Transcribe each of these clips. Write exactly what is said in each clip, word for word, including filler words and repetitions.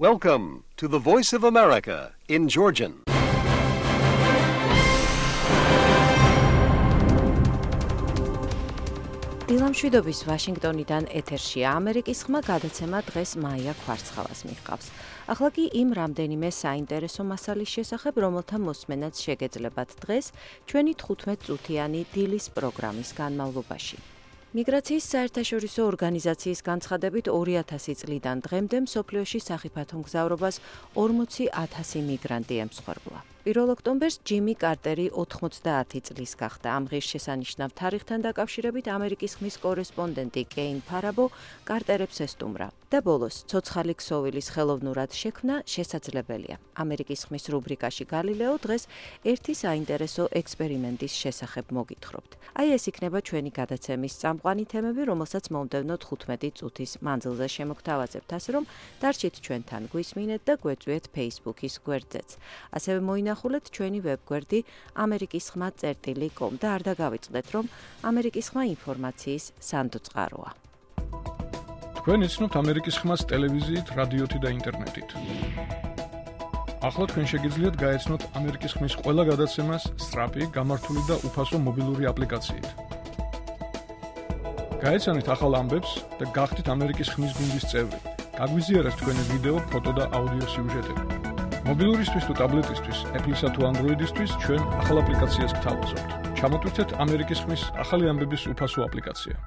Welcome to the Voice of America in Georgian. დილამშვიდობის ვაშინგტონიდან ეთერშია ამერიკის ხმა გადაცემა დღეს მაია ქვარცხალას მიჰყავს. ახლა კი იმ რამდენიმე საინტერესო მასალის შესახებ, რომელთა მოსმენაც შეგეძლებათ დღეს ჩვენი თხუთმეტ წუთიანი დილის პროგრამის განმავლობაში. მიგრაციის საერთაშორისო ორგანიზაციის განცხადებით ორი ათასი წლიდან დღემდე მსოფლიოში სახიფათო მგზავრობას ორმოცი ათასი მიგრანტი ემსხვერპლა. პირველ ოქტომბერს ჯიმი კარტერი ოთხმოცდაათი წლის გახდა. ამ ღირსშესანიშნავ თარიღთან დაკავშირებით ამერიკის ხმის კორესპონდენტი კეინ ფარაბო კარტერებს ესტუმრა და ბოლოს ცოცხალი ქსოვილის ხელოვნურად შექმნა შესაძლებელია. ამერიკის ხმის რუბრიკაში გალილეო დღეს ერთი საინტერესო ექსპერიმენტის შესახებ მოგითხრობთ. აი ეს იქნება ჩვენი გადაცემის წამყვანი თემები, რომელსაც მომდევნო თხუთმეტი წუთის მანძილზე შემოგთავაზებთ, ასე რომ დარჩით ჩვენთან, გვისმინეთ და გვეწვიეთ Facebook-ის გვერდზეც. ასევე მოინახულეთ ჩვენი ვებგვერდი ამერიკის ხმა წერტილი კომ და არ დაგავიწყდეთ, რომ ამერიკის ხმა ინფორმაციის სანდოწყაროა. თქვენ იცნობთ ამერიკის ხმას ტელევიზიით, რადიოთი და ინტერნეტით. ახლა თქვენ შეგიძლიათ გაეცნოთ ამერიკის ხმის ყველა გადაცემას სწრაფი, გამართული და უფასო მობილური აპლიკაციით. გაეცანით ახალ ამბებს და გახდით ამერიკის ხმის გუნდის წევრი. გაგვიზიარეთ თქვენი ვიდეო, ფოტო და აუდიო სიუჟეტები. მობილურისთვის თუ ტაბლეტისთვის, Apple-ისა თუ Android-ისთვის ჩვენ ახალ აპლიკაციას გთავაზობთ. ჩამოტვირთეთ ამერიკის ხმის ახალი ამბების უფასო აპლიკაცია.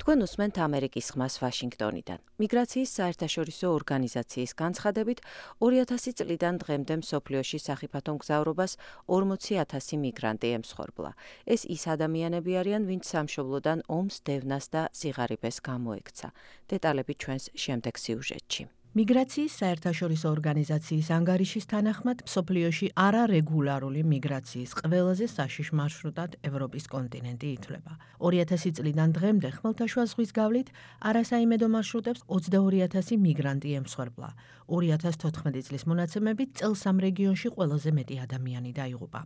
თქვენ უსმენთ ამერიკის ხმას ვაშინგტონიდან. მიგრაციის საერთაშორისო ორგანიზაციის განცხადებით ორი ათასი წლიდან დღემდე მსოფლიოში სახიფათო მგზავრობას ორმოცი ათასი მიგრანტი ემსხვერპლა. ეს ის ადამიანები არიან, ვინც სამშობლოდან ომს, დევნას და სიღარიბეს გამოექცა. დეტალები ჩვენს შემდეგ სიუჟეტში. მიგრაციის საერთაშორისო ორგანიზაციის ანგარიშის თანახმად მსოფლიოში არარეგულარული მიგრაციის ყველაზე საშიშ მარშრუტად ევროპის კონტინენტი ითვლება. ორი ათასი წლიდან დღემდე ხმელთაშუა ზღვის გავლით არასაიმედო მარშრუტებს ოცდაორი ათასი მიგრანტი ემსხვერპლა. ორი ათას თოთხმეტი წლის მონაცემებით წელს ამ რეგიონში ყველაზე მეტი ადამიანი დაიღუპა.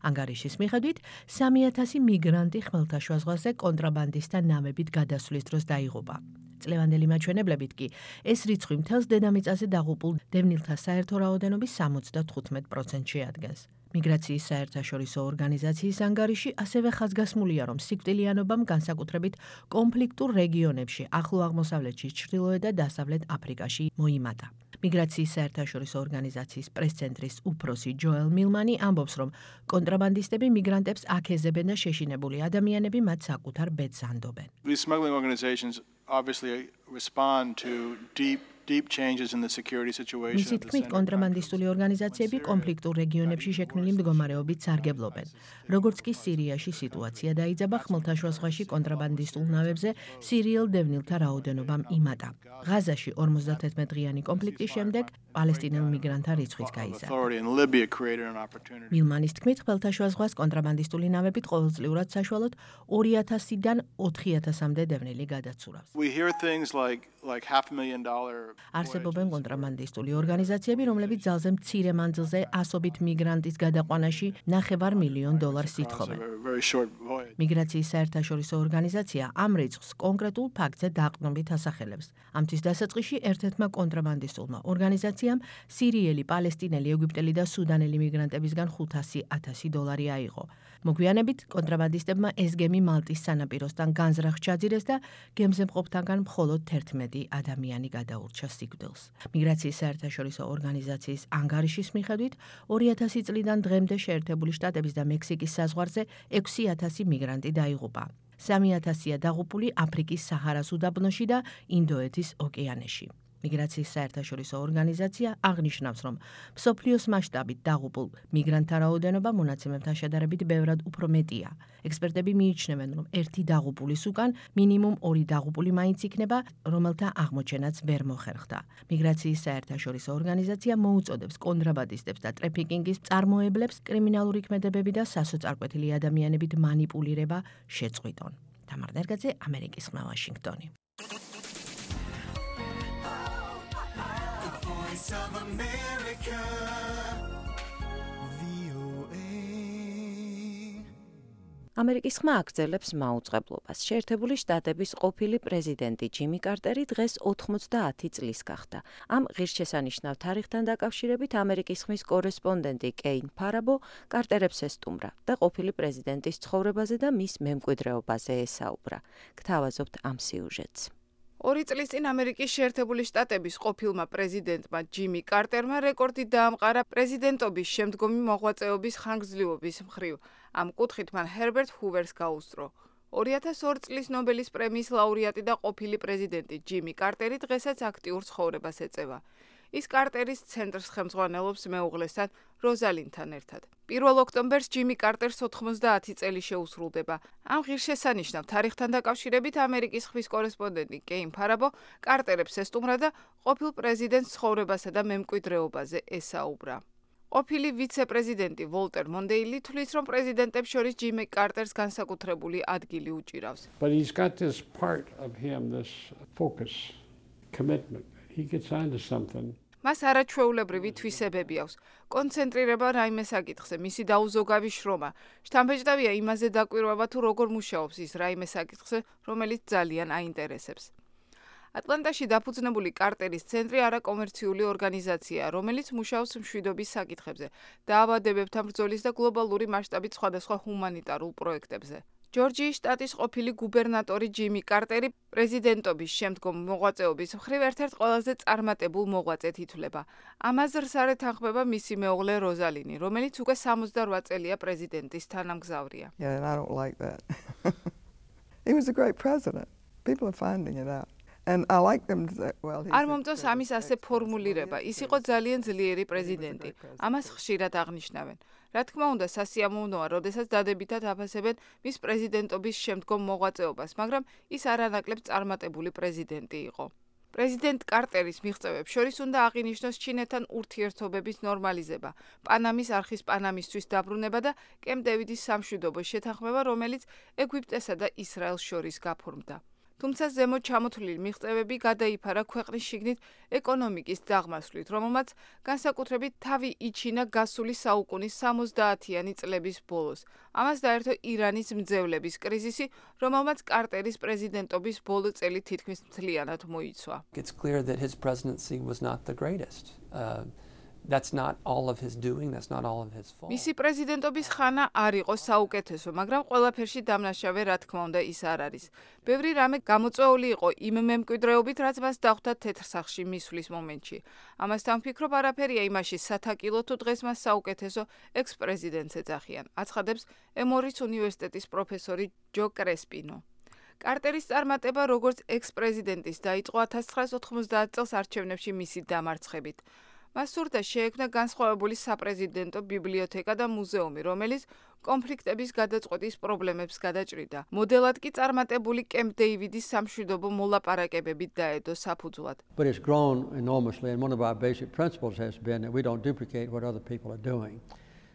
ანგარიშის მიხედვით სამი ათასი მიგრანტი ხმელთაშუა ზღვაზე კონტრაბანდისტთა ნავებით გადასვლის დროს დაიღუპა. წლევანდელი მაჩვენებლებით კი ეს რიცხვი მთელს დედამიწაზე დაღუპულ დევნილთა საერთო რაოდენობის სამოცდათხუთმეტ პროცენტს შეადგენს. მიგრაციის საერთაშორისო ორგანიზაციის ანგარიში ასევე ხაზგასმულია, რომ სიკვდილიანობამ განსაკუთრებით კონფლიქტურ რეგიონებში, ახლო აღმოსავლეთში, ჩრდილოეთ და დასავლეთ აფრიკაში მოიმატა. მიგრაციის საერთაშორისო ორგანიზაციის პრესცენტრის უფროსი ჯოელ მილმანი ამბობს, რომ კონტრაბანდისტები მიგრანტებს აქეზებენ და შეშინებული ადამიანები მათ საკუთარ ბედს ანდობენ. These smuggling organizations obviously respond to deep deep changes in the security situation. მისი თქმით, კონტრაბანდისტული ორგანიზაციები კონფლიქტურ რეგიონებში შექმნილი მდგომარეობით სარგებლობენ. როგორც კი სირიაში სიტუაცია დაიძაბა, ხმელთაშუა ზღვაში კონტრაბანდისტულ ნავებზე სირიელ დევნილთა რაოდენობამ იმატა. ღაზაში ორმოცდათერთმეტ დღიანი კონფლიქტის შემდეგ პალესტინელ მიგრანტთა რიცხვიც გაიზარდა. მილმანის თქმით, ხმელთაშუა ზღვას კონტრაბანდისტული ნავებით ყოველწლიურად საშუალოდ ორი ათასიდან ოთხი ათასამდე დევნილი გადაცურავს. We hear things like like half a million dollar არსებობენ კონტრაბანდისტული ორგანიზაციები, რომლებიც ძალზე მცირე მანძილზე ასობით მიგრანტის გადაყვანაში ნახევარ მილიონ დოლარს ითხოვენ. მიგრაციის საერთაშორისო ორგანიზაცია ამ რიცხვს კონკრეტულ ფაქტზე დაყრდნობით ასახელებს. ამთვის დასაწყისში ერთ-ერთმა კონტრაბანდისტულმა ორგანიზაციამ სირიელი, პალესტინელი, ეგვიპტელი და სუდანელი მიგრანტებისგან ხუთასი ათასი დოლარი აიღო. მოგვიანებით კონტრაბანდისტებმა ეს გემი მალტის სანაპიროსთან განზრახ ჩაძირეს და გემზე მყოფთაგან მხოლოდ თერთმეტი ადამიანი გადაურჩა სიკვდილს. მიგრაციის საერთაშორისო ორგანიზაციის ანგარიშის მიხედვით ორი ათასი წლიდან დღემდე შეერთებული შტატების და მექსიკის საზღვარზე ექვსი ათასი მიგრანტი დაიღუპა. სამი ათასია დაღუპული აფრიკის საჰარას უდაბნოში და ინდოეთის ოკეანეში. მიგრაციის საერთაშორისო ორგანიზაცია აღნიშნავს, რომ მსოფლიოს მასშტაბით დაღუპულ მიგრანტთა რაოდენობა მონაცემებთან შედარებით ბევრად უფრო მეტია. ექსპერტები მიიჩნევენ, რომ ერთი დაღუპულის უკან მინიმუმ ორი დაღუპული მაინც იქნება, რომელთა აღმოჩენაც ვერ მოხერხდა. მიგრაციის საერთაშორისო ორგანიზაცია მოუწოდებს კონტრაბანდისტებს და ტრაფიკინგის მწარმოებლებს კრიმინალური ქმედებები და სასოწარკვეთილი ადამიანებით მანიპულირება შეწყვიტონ. თამარ ნერგაძე, ამერიკის ხმა, ვაშინგტონი. Voice of America, V O A. ამერიკის ხმა აგრძელებს მაუწყებლობას. შეერთებული შტატების ყოფილი პრეზიდენტი ჯიმი კარტერი დღეს ოთხმოცდაათი წლის გახდა. ამ ღირსშესანიშნავ თარიღთან დაკავშირებით ამერიკის ხმის კორესპონდენტი კეინ ფარაბო კარტერებს ესტუმრა და ყოფილი პრეზიდენტის ცხოვრებაზე და მის მემკვიდრეობაზე ესაუბრა. გთავაზობთ ამ სიუჟეტს. ორი წლის წინ ამერიკის შეერთებული შტატების ყოფილმა პრეზიდენტმა ჯიმი კარტერმა რეკორდი დაამყარა პრეზიდენტობის შემდგომი მოღვაწეობის ხანგრძლივობის მხრივ. ამ კუთხით მან ჰერბერტ ჰუვერს გაუსწრო. ორი ათას ორი წლის ნობელის პრემიის ლაურეატი და ყოფილი პრეზიდენტი ჯიმი კარტერი დღესაც აქტიურ ცხოვრებას ეწევა. ის კარტერის ცენტრს ხელმძღვანელობს მეუღლესთან როზალინთან ერთად. პირველ ოქტომბერს ჯიმი კარტერს ოთხმოცდაათი წელი შეუსრულდება. ამ ღირსშესანიშნავ თარიღთან დაკავშირებით ამერიკის ხმის კორესპონდენტი კეინ ფარაბო კარტერებს ესტუმრა და ყოფილ პრეზიდენტს ცხოვრებასა და მემკვიდრეობაზე ესაუბრა. ყოფილი ვიცე-პრეზიდენტი ვოლტერ მონდეილი თვლის, რომ პრეზიდენტებს შორის ჯიმი კარტერს განსაკუთრებული ადგილი უჭირავს. But he's got this part of him, this focus, commitment. He gets onto something. მას არაჩვეულებრივი თვისებები აქვს. კონცენტრირება რაიმე საკითხზე, მისი დაუზოგავი შრომა. შთამბეჭდავია იმაზე დაკვირვება თუ როგორ მუშაობს ის რაიმე საკითხზე, რომელიც ძალიან აინტერესებს. ატლანტაში დაფუძნებული კარტერის ცენტრი არაკომერციული ორგანიზაციაა, რომელიც მუშაობს მშვიდობის საკითხებზე, დაავადებებთან ბრძოლის და გლობალური მასშტაბით სხვადასხვა ჰუმანიტარულ პროექტებზე. ჯორჯიის შტატის ყოფილი გუბერნატორი ჯიმი კარტერი პრეზიდენტობის შემდგომ მოღვაწეობის მხრივ ერთ-ერთ ყველაზე წარმატებულ მოღვაწედ ითვლება. ამაზრს არ ეთანხმება მისი მეუღლე როზალინი, რომელიც უკვე სამოცდარვა წელია პრეზიდენტის თანამგზავრია. Yeah, and I don't like that. He was a great president. People are finding it out. And I like them to say, well, he's არ მომწონს ამის ასე ფორმულირება. ის იყო ძალიან ძლიერი პრეზიდენტი. ამას ხშირად აღნიშნავენ. რა თქმა უნდა, სასიამოვნოა, როდესაც დადებითად აფასებენ მის პრეზიდენტობის შემდგომ მოღვაწეობას, მაგრამ ის არანაკლებ წარმატებული პრეზიდენტი იყო. პრეზიდენტ კარტერის მიღწევებს შორის უნდა აღინიშნოს ჩინეთთან ურთიერთობების ნორმალიზება, პანამის არხის პანამისთვის დაბრუნება და კემპ დევიდის სამშვიდობოს შეთანხმება, რომელიც ეგვიპტესა და ისრაელს შორის გაფორმდა. თუმცა ზემოთ ჩამოთვლილი მიღწევები გადაიფარა ქვეყნის შიგნით ეკონომიკის დაღმასვლით, რომელმაც განსაკუთრებით თავი იჩინა გასული საუკუნის სამოცდაათიანი წლების ბოლოს. ამას დაერთო ირანის მძევლების კრიზისი, რომელმაც კარტერის პრეზიდენტობის ბოლო წელი თითქმის მთლიანად მოიცვა. It's clear that his presidency was not the greatest. Uh, That's not all of his doing, that's not all of his fault. მისი პრეზიდენტობის ხანა არ იყო საუკეთესო, მაგრამ ყველაფერში დამნაშავე რა თქმა უნდა ის არ არის. ბევრი რამე გამოწვეული იყო იმ მემკვიდრეობით, რაც მას დახვდა თეთრსახში მისვლის მომენტში. ამასთან ვფიქრობ, არაფერია იმაში სათაკილო თუ დღეს მას საუკეთესო ექს-პრეზიდენტს ეძახიან, აცხადებს ემორის უნივერსიტეტის პროფესორი ჯო კრესპინო. კარტერის წარმატება როგორც ექს-პრეზიდენტის დაიწყო ათას ცხრაას ოთხმოცდაათ წელს არჩევნებში მისი დამარცხებით. მას სურდა შეექმნა განსხვავებული საპრეზიდენტო ბიბლიოთეკა და მუზეუმი, რომელიც კონფლიქტების გადაწყვეტის პრობლემებს გადაჭრიდა. მოდელად კი წარმატებული კემპ დეივიდის სამშვიდობო მოლაპარაკებებით დაედო საფუძვლად. But it's grown enormously, and one of our basic principles has been that we don't duplicate what other people are doing.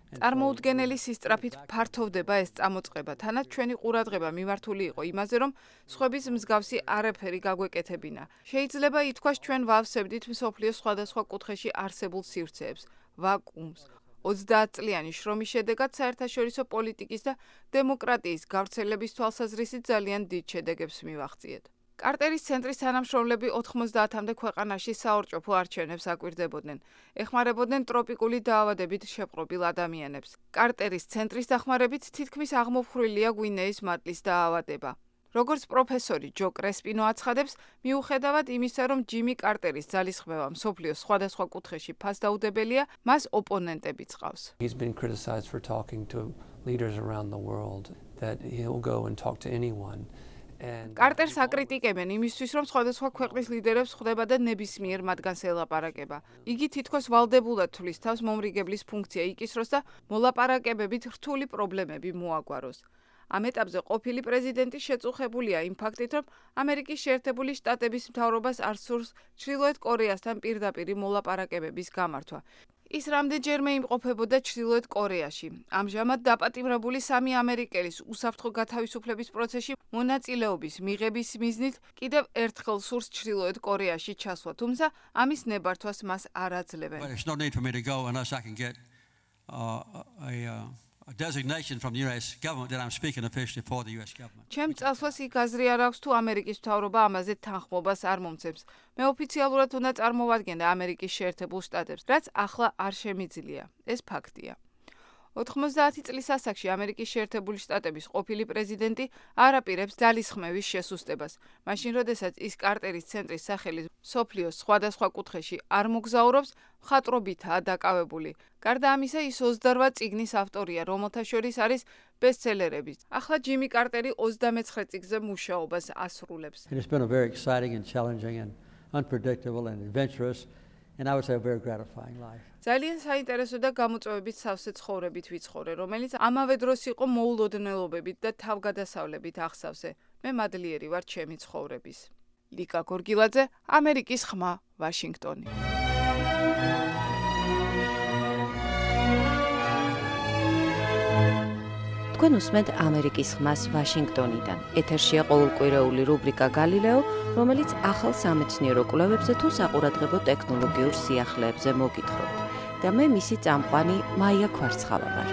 წარმოუდგენელი სისწრაფით ფართოვდება ეს წამოწყება, თანაც ჩვენი ყურადღება მიმართული იყო იმაზე, რომ სხვების მსგავსი არაფერი გაგვეკეთებინა. შეიძლება ითქვას, ჩვენ ვავსებდით მსოფლიოს სხვადასხვა კუთხეში არსებულ სივრცეებს, ვაკუუმს. ოცდაათწლიანი შრომის შედეგად საერთაშორისო პოლიტიკის და დემოკრატიის გავრცელების თვალსაზრისით ძალიან დიდ შედეგებს მივაღწიეთ. კარტერის ცენტრის თანამშრომლები ოთხმოცდაათამდე ქვეყანაში საორჭოფო არჩევნებს აკვირდებოდნენ. ეხმარებოდნენ ტროპიკული დაავადებით შეპყრობილ ადამიანებს. კარტერის ცენტრის დახმარებით თითქმის აღმოფხვრილია გვინეის მატლის დაავადება. როგორც პროფესორი ჯო კრესპინო აცხადებს, მიუხედავად იმისა, რომ ჯიმი კარტერის ძალისხმევა მსოფლიოს სხვადასხვა კუთხეში ფასდაუდებელია, მას ოპონენტებიც ყავს. He's been criticized for talking to leaders around the world, that he'll go and talk to anyone. კარტერს აკრიტიკებენ იმისთვის, რომ სხვადასხვა ქვეყნის ლიდერებს ხვდება და ნებისმიერ მათგანს ელაპარაკება. იგი თითქოს ვალდებულად თვლის თავს მომრიგებლის ფუნქცია იკისროს და მოლაპარაკებებით რთული პრობლემები მოაგვაროს. ამ ეტაპზე ყოფილი პრეზიდენტი შეწუხებულია იმ ფაქტით, რომ ამერიკის შეერთებული შტატების მთავრობას არ სურს ჩრდილოეთ კორეასთან პირდაპირი მოლაპარაკებების გამართვა. ის რამდენჯერმე იმყოფებოდა ჩრდილოეთ კორეაში. ამჟამად დაპატიმრებული სამი ამერიკელის უსაფრთხო გათავისუფლების პროცესში მონაწილეობის მიღების მიზნით კიდევ ერთხელ სურს ჩრდილოეთ კორეაში ჩასვლა, თუმცა ამის ნებართვას მას არ აძლევენ. But it's no need for me to go unless I can get uh, a, uh, a designation from the U S government that I'm speaking officially for the U S government. ჩემ წასვლას იქ აზრი არ აქვს თუ ამერიკის მთავრობა ამაზე თანხმობას არ მომცემს. მე ოფიციალურად უნდა წარმოვადგენდა ამერიკის შეერთებულ შტატებს, რაც ახლა არ შემიძლია. ეს ფაქტია. ოთხმოცდაათი წლის ასაკში ამერიკის შეერთებული შტატების ყოფილი პრეზიდენტი არ აპირებს ძალისხმევის შესუსტებას. მაშინ, როდესაც ის კარტერის ცენტრის სახელის მსოფლიოს სხვადასხვა კუთხეში არ მოგზაურობს, მხატვრობითაა დაკავებული. გარდა ამისა, ის ოცდარვაც წიგნის ავტორია, რომელთა შორის არის ბესტსელერები. ახლა ჯიმი კარტერი ოცდამეცხრე წიგნზე მუშაობას ასრულებს. And it's been a very exciting and challenging and unpredictable and adventurous and I would say a very gratifying life. ძალიან საინტერესო და გამოწვევებით სავსე ცხოვრებით ვიცხოვრე, რომელიც ამავე დროს იყო მოულოდნელობებით და თავგადასავლებით აღსავსე. მე მადლიერი ვარ ჩემი ცხოვრების. ლიკა გორგილაძე, ამერიკის ხმა, ვაშინგტონი. თქვენ უსმენთ ამერიკის ხმას ვაშინგტონიდან. ეთერშია ყოველკვირეული რუბრიკა გალილეო, რომელიც ახალ სამეცნიერო კვლევებზე თუ საყურადღებო ტექნოლოგიურ სიახლეებზე მოგითხრობთ. და მე მისი წამყვანი მაია ქვარცხავა ვარ.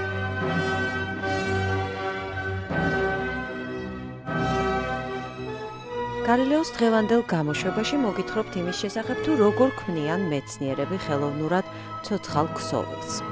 გალილეოს დღევანდელ გამოშვებაში მოგითხრობთ იმის შესახებ, თუ როგორ ქმნიან მეცნიერები ხელოვნურად ცოცხალ ქსოვილს.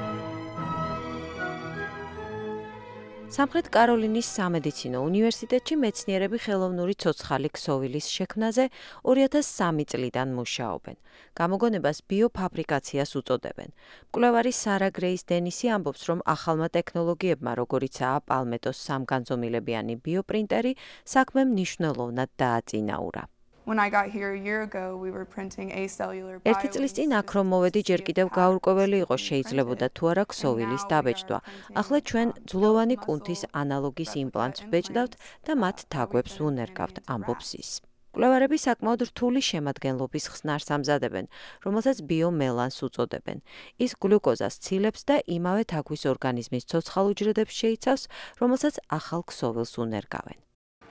სამხრეთ კაროლინის სამედიცინო უნივერსიტეტში მეცნიერები ხელოვნური ცოცხალი ქსოვილის შექმნაზე ორი ათას სამი წლიდან მუშაობენ. გამოგონებას ბიოფაბრიკაციას უწოდებენ. მკვლევარი სარა გრეის დენისი ამბობს, რომ ახალმა ტექნოლოგიებმა, როგორიცაა პალმეტოს სამგანზომილებიანი ბიოპრინტერი, საქმემ მნიშვნელოვნად დააწინაურა. When I got here a year ago, we were printing acellular bio. ერთი წლის წინ აქ რომ მოვედი, ჯერ კიდევ გაურკვეველი იყო შეიძლებოდა თუ არა ქსოვილის დაბეჭდვა. ახლა ჩვენ ძვლოვანი კუნთის ანალოგის იმპლანტს ვბეჭდავთ და მათ თაგვებს ვუნერგავთ, ამბობს ის. მკვლევარები საკმაოდ რთული შემადგენლობის ხსნარს ამზადებენ, რომელსაც ბიომელანს უწოდებენ. ის გლუკოზას ცილებს და იმავე თაგვის ორგანიზმის ცოცხალ უჯრედებს შეიცავს, რომელსაც ახალ ქსოვილს უნერგავენ.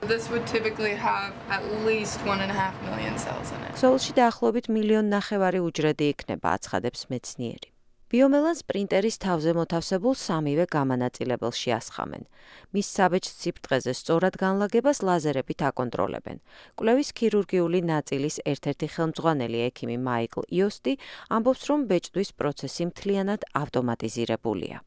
This would typically have at least one and a half million cells in it. ქსოვილში დაახლოებით მილიონ ნახევარი უჯრედი იქნება, აცხადებს მეცნიერი. ბიომელანს პრინტერის თავზე მოთავსებულ სამივე გამანაწილებელში ასხამენ. მის საბეჭდ სიფრთხეზე სწორად განლაგებას ლაზერებით აკონტროლებენ. კვლევის ქირურგიული ნაწილის ერთ-ერთი ხელმძღვანელი ექიმი მაიკლ იოსტი ამბობს, რომ ბეჭდვის პროცესი მთლიანად ავტომატიზირებულია.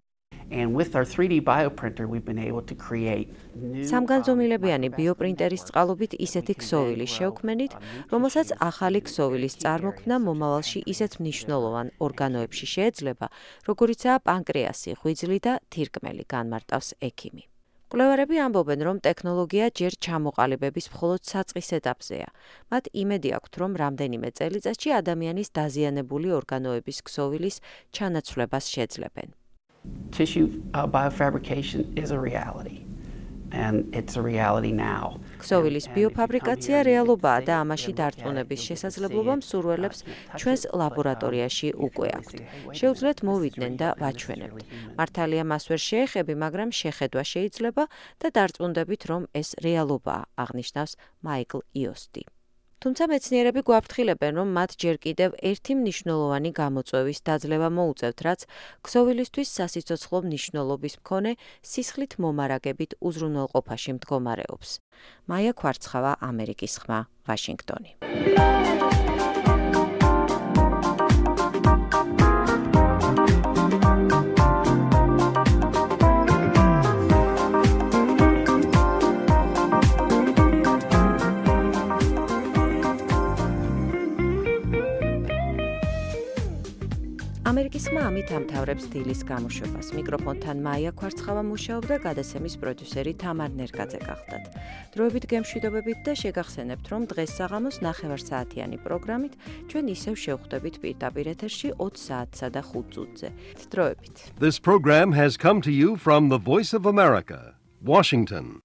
And with our three D bioprinter, we've been able to create new სამგანზომილებიანი ბიოპრინტერის წყალობით ისეთი ქსოვილი შევქმნით, რომელსაც ახალი ქსოვილის წარმოქმნა მომავალში ისეთ მნიშვნელოვან ორგანოებში შეეძლება, როგორიცაა პანკრეასი, ღვიძლი და თირკმელი, განმარტავს ექიმი. მკვლევარები ამბობენ, რომ ტექნოლოგია ჯერ ჩამოყალიბების მხოლოდ საწყის ეტაპზეა. მათ იმედი აქვთ, რომ რამდენიმე წელიწადში ადამიანის დაზიანებული ორგანოების ქსოვილის ჩანაცვლებას შეძლებენ. Tissue uh, biofabrication is a reality, and it's a reality now. ქსოვილის ბიოფაბრიკაცია რეალობაა და ამაში დარწმუნების შესაძლებლობა მსურველებს ჩვენს ლაბორატორიაში უკვე აქვთ. შეუძლიათ მოვიდნენ და ვაჩვენებთ. მართალია მას ვერ შეეხები, მაგრამ შეხედვა შეიძლება და დარწმუნდებით, რომ ეს რეალობაა, აღნიშნავს მაიკლ იოსტი. თუმცა მეცნიერები გვაფრთხილებენ, რომ მათ ჯერ კიდევ ერთი მნიშვნელოვანი გამოწვევის დაძლევა მოუწევთ, რაც ქსოვილისთვის სასიცოცხლო მნიშვნელობის მქონე სისხლით მომარაგებით უზრუნველყოფაში მდგომარეობს. მაია ქვარცხავა, ამერიკის ხმა, ვაშინგტონი. ამერიკის ხმა ამით ამთავრებს დილის გამოშვებას. მიკროფონთან მაია ქვარცხავა მუშაობდა, გადაცემის პროდიუსერი თამარ ნერგაძე გახდათ. დროებით გემშვიდობებით და შეგახსენებთ, რომ დღეს საღამოს ნახევარსაათიანი პროგრამით ჩვენ ისევ შევხვდებით პირდაპირ ეთერში ოც საათსა და ხუთ წუთზე. დროებით. This program has come to you from the Voice of America, Washington.